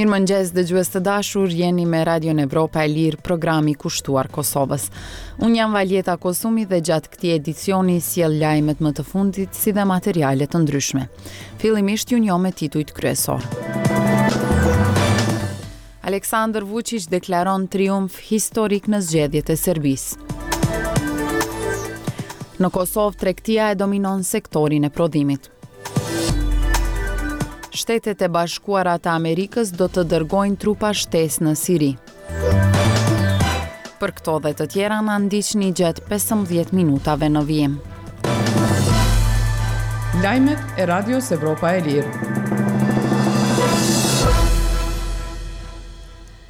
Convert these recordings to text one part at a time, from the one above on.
Mirëmëngjes dëgjues të dashur, jeni me Radion Evropa e Lirë, programi kushtuar Kosovës. Unë jam Valjeta Kosumi dhe gjatë këtij edicioni sjell lajmet më të fundit si dhe materiale të ndryshme. Fillimisht ju njoh me titujt kryesorë. Aleksandër Vuçiq deklaron triumf historik në zgjedhjet e Serbisë. Në Kosovë, tregtia e dominon sektorin e prodhimit. Shtetet e Bashkuara të Amerikës do të dërgojnë trupa shtesë në Siri. Për këto dhe të tjera na ndiqni gjatë 15 minutave në vijim. Lajmet e Radios Evropa e Lirë.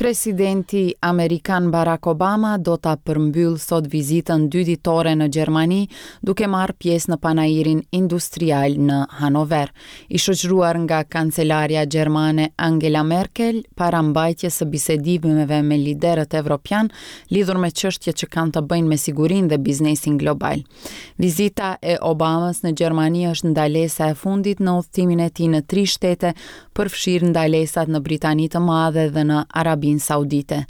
Presidenti amerikan Barack Obama do ta përmbyllë sot vizitën dyditore në Gjermani, duke marrë pjesë në panairin industrial në Hanover. I shoqëruar nga kancelarja gjermane Angela Merkel, para mbajtjes së bisedimeve me liderët evropianë lidhur me çështje që kanë të bëjnë me sigurinë dhe biznesin global. Vizita e Obamës në Gjermani është ndalesa e fundit në udhëtimin e tij në tri shtete, përfshirë ndalesat në Britani të Madhe dhe në Arabinë Saudite.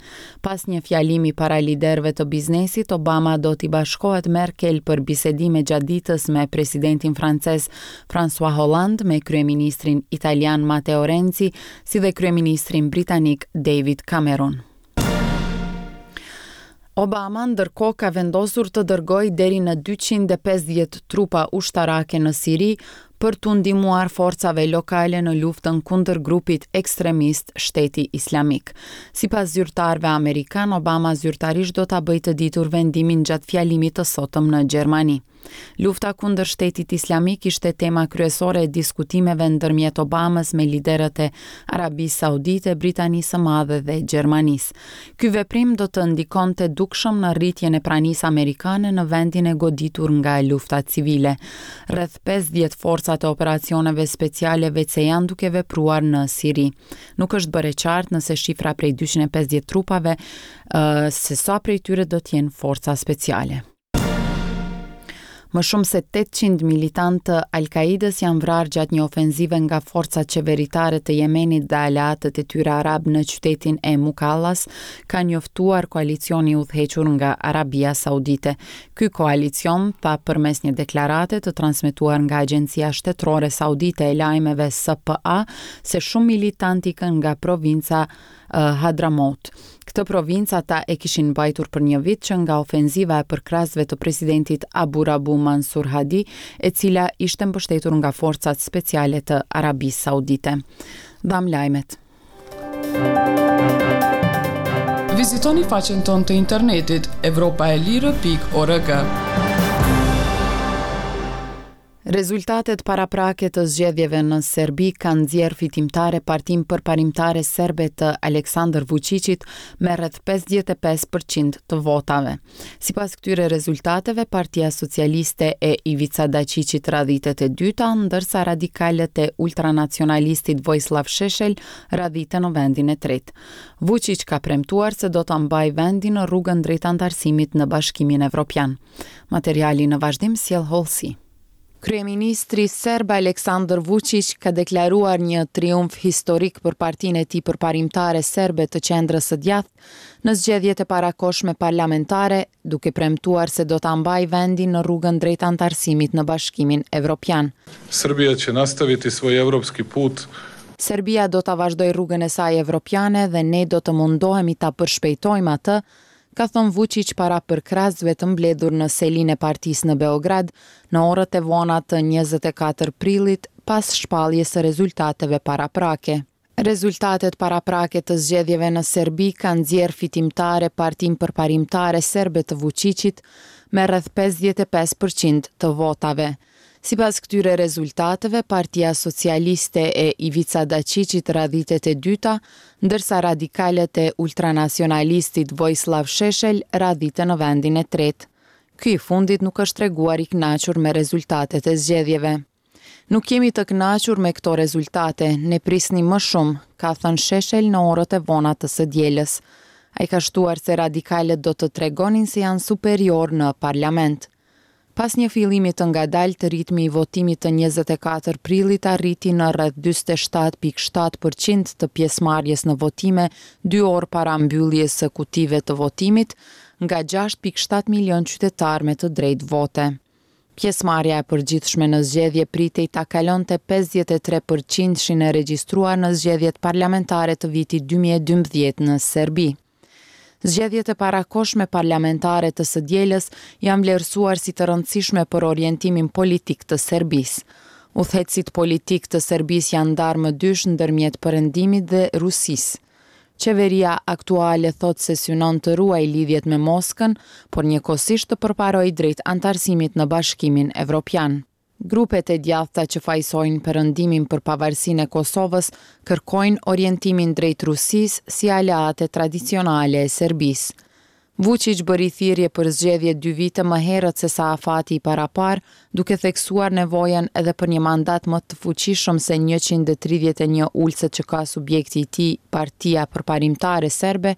Pas një fjalimi para liderëve të biznesit, Obama do t'i bashkohet Merkel për bisedime gjatë ditës me presidentin francez François Hollande, me kryeministrin italian Matteo Renzi, si dhe kryeministrin britanik David Cameron. Obama ndërkohë ka vendosur të dërgojë deri në 250 trupa ushtarake në Siri për t'u ndihmuar forcave lokale në luftën kundër grupit ekstremist Shteti Islamik. Sipas zyrtarëve amerikanë, Obama zyrtarisht do ta bëjë të ditur vendimin gjatë fjalimit të sotëm në Gjermani. Lufta kundër Shtetit Islamik ishte tema kryesore e diskutimeve ndërmjet Obamës me liderët e Arabisë Saudite, Britanisë së Madhe dhe Gjermanisë. Ky veprim do të ndikonte dukshëm në rritjen e pranisë amerikane në vendin e goditur nga lufta civile. Rreth 50 forca të operacioneve speciale veçse janë duke vepruar në Siri. Nuk është bërë e qartë nëse shifra prej 250 trupave, se sa prej tyre do të jenë forca speciale. Më shumë se 800 militantë të Al-Kaidës janë vrarë gjatë një ofenzive nga forcat qeveritare të Jemenit dhe aleatët e tyre arabë në qytetin e Mukallas, ka njoftuar koalicioni i udhëhequr nga Arabia Saudite. Ky koalicion tha përmes një deklarate të transmetuar nga agjencia shtetërore saudite e lajmeve SPA se shumë militantë ikën nga provinca Hadramaut. Këtë provincë ata e kishin mbajtur për një vit që nga ofenziva e përkrahësve të presidentit Abu Rabu Mansur Hadi, e cila ishte mbështetur nga forcat speciale të Arabisë Saudite. Dhamë lajmet. Vizitoni faqen tonë të internetit evropaelire.org. Rezultatet paraprake të zgjedhjeve në Serbi kanë nxjerrë fitimtare Partinë Përparimtare Serbe të Aleksandër Vuçiqit me rreth 55 për qind të votave. Sipas këtyre rezultateve, Partia Socialiste e Ivica Daçiqit radhitet e dyta, ndërsa radikalët e ultranacionalistit Vojislav Sheshel radhiten në vendin e tretë. Vuçiq ka premtuar se do ta mbajë vendin në rrugën drejt anëtarësimit në Bashkimin Evropian. Materiali në vazhdim sjell hollësi. Kryeministri serb Aleksandër Vuçiq ka deklaruar një triumf historik për partinë e tij përparimtare serbe të qendrës së djathtë në zgjedhjet e parakohshme parlamentare, duke premtuar se do ta mbajë vendin në rrugën drejt anëtarësimit në Bashkimin Evropian. Srbija će nastaviti svoj evropski put. Serbia do ta vazhdojë rrugën e saj evropiane dhe ne do të mundohemi ta përshpejtojmë atë, ka thënë Vuçiq para përkrahësve të mbledhur në selinë e partisë në Beograd në orët e vona të 24 prillit pas shpalljes së rezultateve paraprake. Rezultatet paraprake të zgjedhjeve në Serbi kanë nxjerrë fitimtare Partinë Përparimtare Serbe të Vuçiqit me rreth 55 për qind të votave. Sipas këtyre rezultateve, Partia Socialiste e Ivica Daçiqit radhitet e dyta, ndërsa radikalët e ultranacionalistit Vojislav Sheshel radhiten në vendin e tretë. Ky i fundit nuk është treguar i kënaqur me rezultatet e zgjedhjeve. Nuk jemi të kënaqur me këto rezultate, ne prisnim më shumë, ka thënë Sheshel në orët e vona të së dielës. Ai ka shtuar se radikalët do të tregonin se janë superiorë në parlament. Pas një fillimi të ngadaltë, ritmi i votimit të 24 prillit arriti në rreth 47.7 për qind të pjesëmarrjes në votime dy orë para mbylljes së kutive të votimit, nga 6.7 milionë qytetarë me të drejtë vote. Pjesëmarrja e përgjithshme në zgjedhje pritej ta kalonte 53 për qindshin e regjistruar në zgjedhjet parlamentare të vitit 2012 në Serbi. Zgjedhjet e parakohshme parlamentare të së dielës janë vlerësuar si të rëndësishme për orientimin politik të Serbisë. Udhëheqësit politikë të Serbisë janë ndarë më dysh ndërmjet Perëndimit dhe Rusisë. Qeveria aktuale thotë se synon të ruajë lidhjet me Moskën, por njëkohësisht të përparojë drejt anëtarësimit në Bashkimin Evropian. Grupet e djathta që fajësojnë Perëndimin për pavarësinë e Kosovës kërkojnë orientimin drejt Rusisë si aleate tradicionale e Serbisë. Vuçiq bëri thirrje për zgjedhje dy vite më herët sesa afati i paraparë, duke theksuar nevojën edhe për një mandat më të fuqishëm se 131 ulëset që ka subjekti i tij, Partia Përparimtare Serbe,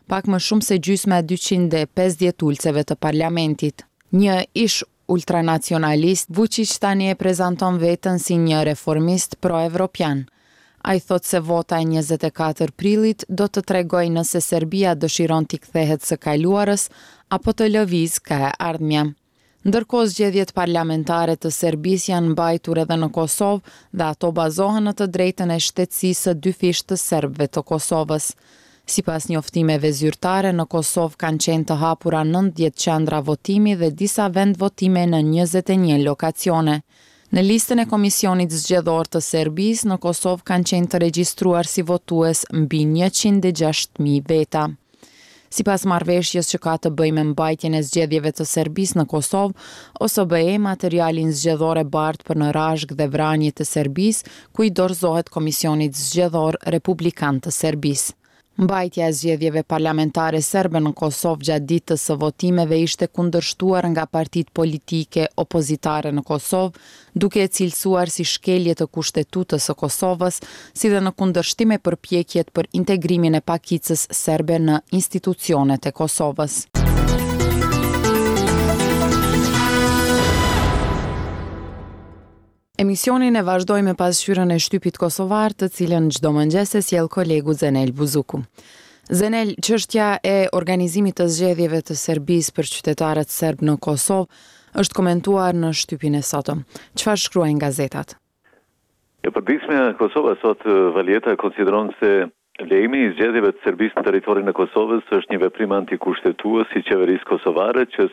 pak më shumë se gjysma e 250 ulëseve të parlamentit. Një ish ultranacionalist, Vuçiq tani e prezanton veten si një reformist pro-evropian. Ai thotë se vota e 24 prillit do të tregojë nëse Serbia dëshiron t'i kthehet së kaluarës apo të lëvizë ka e ardhmja. Ndërkohë zgjedhjet parlamentare të Serbisë janë mbajtur edhe në Kosovë dhe ato bazohen në të drejtën e shtetësisë së dyfishtë të serbëve të Kosovës. Sipas njoftimeve zyrtare, në Kosovë kanë qenë të hapura 90 qendra votimi dhe disa vendvotime në 21 lokacione. Në listën e Komisionit Zgjedhor të Serbisë, në Kosovë kanë qenë të regjistruar si votues mbi 106.000 veta. Sipas marrëveshjes që ka të bëjë me mbajtjen e zgjedhjeve të Serbisë në Kosovë, OSBE materialin zgjedhor e bart për në Rashkë dhe Vranje të Serbisë, ku i dorëzohet Komisionit Zgjedhor Republikan të Serbisë. Mbajtja e zgjedhjeve parlamentare serbe në Kosovë gjatë ditës së votimeve ishte kundërshtuar nga partitë politike opozitare në Kosovë, duke e cilësuar si shkelje të Kushtetutës së Kosovës, si dhe në kundërshtim me përpjekjet për integrimin e pakicës serbe në institucionet e Kosovës. Emisionin e vazhdoj me pasqyrën e shtypit kosovar, të cilën çdo mëngjes e sjell kolegu Zenel Buzuku. Zenel, çështja e organizimit të zgjedhjeve të Serbisë për qytetarët serbë në Kosovë është komentuar në shtypin e sotëm. Çfarë shkruajnë gazetat? E përditshmja Kosova sot Valieta konsideron se lejimi i zgjedhjeve të Serbisë në territorin e Kosovës është një veprim antikushtetues i qeverisë kosovare që.